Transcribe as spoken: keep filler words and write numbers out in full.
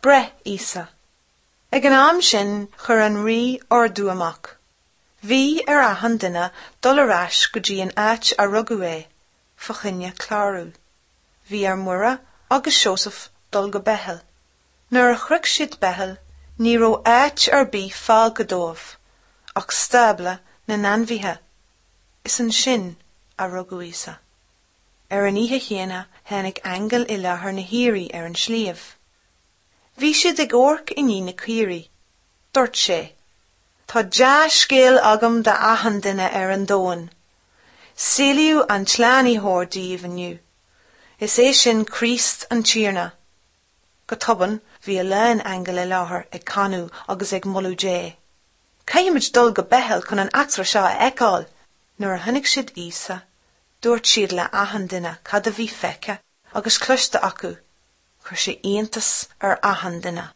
Breith Íosa. Ag an am sin chuir an rí ordú amach. Bhí ar achan duine dul ar ais go dtí an áit a rugadh é, fá choinne clárú. Bhí ar Muire agus Seosamh dul go Beithil. Nuair a shroich siad Beithil, ní raibh áit ar bith fágtha dóibh, ach stábla na n-ainmhithe. Is ansin a rugadh Íosa. Ar an oíche chéanna tháinig aingeal i láthair na haoirí ar an sliabh. Bhí siad ag amharc i ndiaidh na caoirigh. Dúirt sé, Tá dea-scéal agam d'achan duine ar an domhan. Saolaíodh an tSlánaitheoir daoibh inniu. Is é sin Críost an Tiarna. Go tobann bhí a lán aingeal i láthair ag canadh agus ag moladh Dé. Caithfimid dul go Beithil chun an eachtra seo a fheiceáil. Nuair a chonaic siad Íosa, dúirt siad le achan duine cad a bhí feicthe agus cloiste acu, chuir sé iontas ar achan duine.